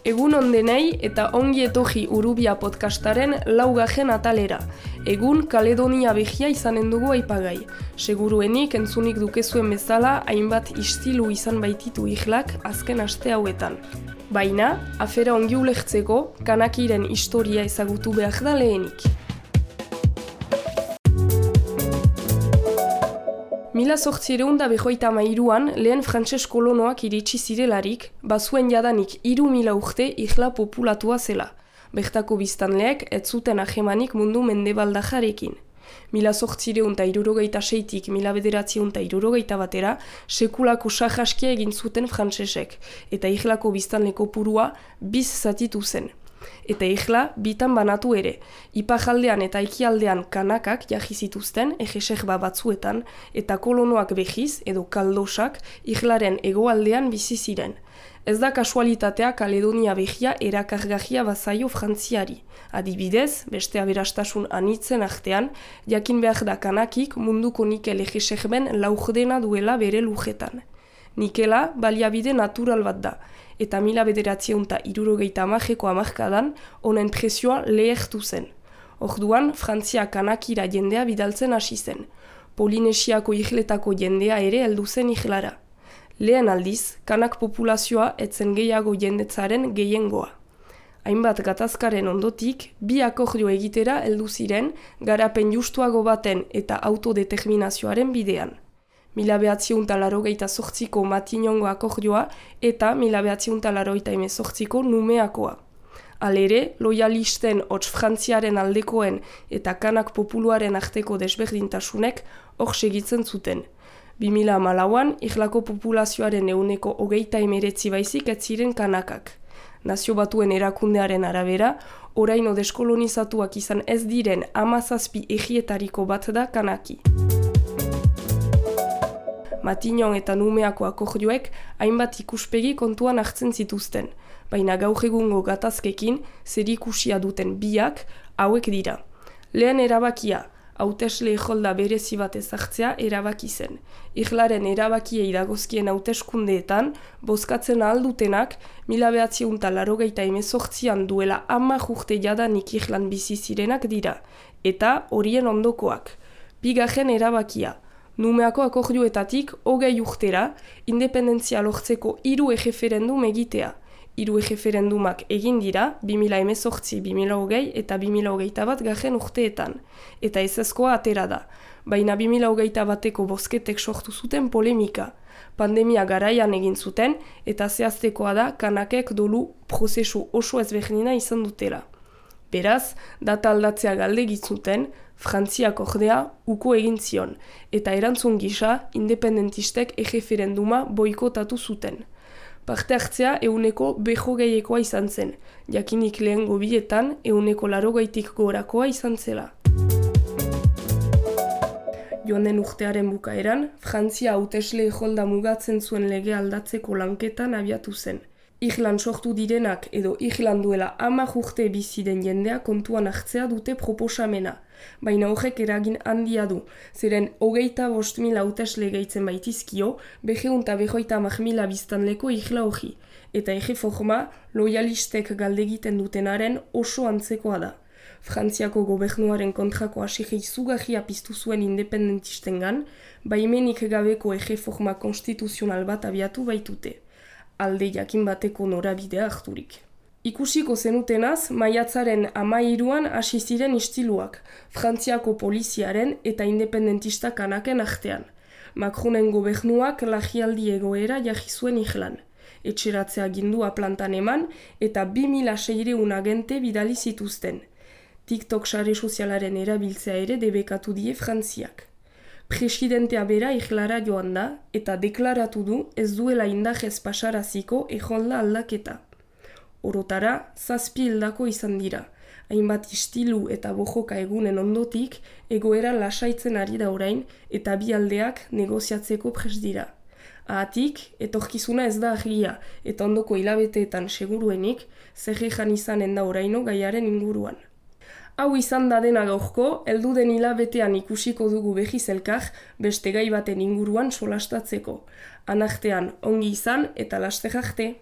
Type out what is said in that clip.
Egun ondenei eta ongi etorri Urubia podcastaren laugarren atalera. Egun Kaledonia behia izanen dugu aipagai. Seguruenik entzunik dukezuen bezala hainbat istilu izan baititu ihlak azken aste hauetan. Baina, afera ongi ulertzeko, kanakiren historia ezagutu behar da lehenik. 1853an lehen frantses kolonoak iritsi zirelarik, bazuen jadanik 3000 urte ihla populatua zela. Bertako biztanleek ez zuten ahemanik mundu mendebaldajarekin. 1876tik 1961 sekulako sahaskia egin zuten frantsesek, eta ihlako biztanle kopurua biz zatitu zen. Eta ihla bitan banatu ere, iparraldean eta ekialdean kanakak jarri zituzten ejeserba batzuetan, eta kolonoak behiz edo kaldosak ihlaren hegoaldean bizi ziren. Ez da kasualitatea Kaledonia behia erakargarria bazaio Frantziari. Adibidez, beste aberastasun anitzen artean, jakin behar da kanakik munduko nikel ejeserben laurdena duela bere lujetan. Nikela baliabide natural bat da, eta 1970ko hamarkadan honen presioa lehertu zen. Orduan, Frantzia kanakira jendea bidaltzen hasi zen. Polinesiako ihletako jendea ere heldu zen ihlara. Lehen aldiz, kanak populazioa etzen gehiago jendetzaren gehiengoa. Hainbat gatazkaren ondotik, bi akordio egitera heldu ziren garapen justuago baten eta autodeterminazioaren bidean. 1988ko Matignongo akordioa eta 1988ko Numeakoa. Halere, loyalisten hots Frantziaren aldekoen eta kanak populuaren arteko desberdintasunek hor segitzen zuten. 2014an, ihlako populazioaren 29% baizik ez ziren kanakak. Nazio Batuen erakundearen arabera, oraino deskolonizatuak izan ez diren 17 egietariko bat da kanaki. Matignon eta Numeako akordioek hainbat ikuspegi kontuan hartzen zituzten, baina gaur egungo gatazkekin zerikusia duten biak hauek dira. Lehen erabakia, hautesle eholda berezi bat ezartzea erabaki zen. Ihlaren erabakiei dagozkien hauteskundeetan, bozkatzen ahaldutenak 1988an duela 10 urte jadanik ihlan bizi zirenak dira, eta horien ondokoak. Bigarren erabakia, Numeako akordioetatik 20 urtera, independentzia lortzeko 3 erreferendum egitea. 3 erreferendumak egin dira 2018, 2020 eta 2021 garren urteetan. Eta ezezkoa atera da, baina 2021ko bozketek sortu zuten polemika. Pandemia garaian egin zuten eta zehaztekoa da kanakek dolu prozesu oso ezberdina izan dutela. Beraz, data aldatzea galdegitzuten, Frantziak ordea uko egin zion, eta erantzun gisa independentistek erreferenduma boikotatu zuten. Parte hartzea 100%ekoa izan zen, jakinik lehengo bietan 180% gorakoa izan zela. Joan den urtearen bukaeran, Frantzia hautesle eholda mugatzen zuen lege aldatzeko lanketan abiatu zen. Ihlan sortu direnak edo ihlan duela 10 urte bizi den jendea kontuan hartzea dute proposamena, baina horrek eragin handia du, zeren 25.000 hautesle gehitzen baitizkio, 250.000 biztanleko ihla hori, eta erreforma loyalistek galdegiten dutenaren oso antzekoa da. Frantziako gobernuaren kontrako asige izugarria piztu zuen independentistengan, baimenik gabeko erreforma konstituzional bat abiatu baitute. Alde jakin bateko norabidea harturik. Ikusiko zenutenaz, maiatzaren 13an hasi ziren istiluak, Frantziako poliziaren eta independentista kanaken artean. Macronen gobernuak lagialdi egoera jarri zuen ihlan. Etxeratzea gindua plantan eman eta 2600 agente bidali zituzten. TikTok sare sozialaren erabiltzea ere debekatu die Frantziak. Presidentea bera ihlara joan da eta deklaratu du ez duela indarrez pasaraziko eholda aldaketa. Orotara, 7 hildako izan dira. Hainbat istilu eta bojoka egunen ondotik, egoera lasaitzen ari da orain eta bi aldeak negoziatzeko prest dira. Ahatik, etorkizuna ez da argia eta ondoko hilabeteetan seguruenik, zerrejan izanen da oraino gaiaren inguruan. Hau izan da dena gaurko, heldu den hilabetean ikusiko dugu behiz elkar beste gai baten inguruan solastatzeko. Anartean ongi izan eta laster arte.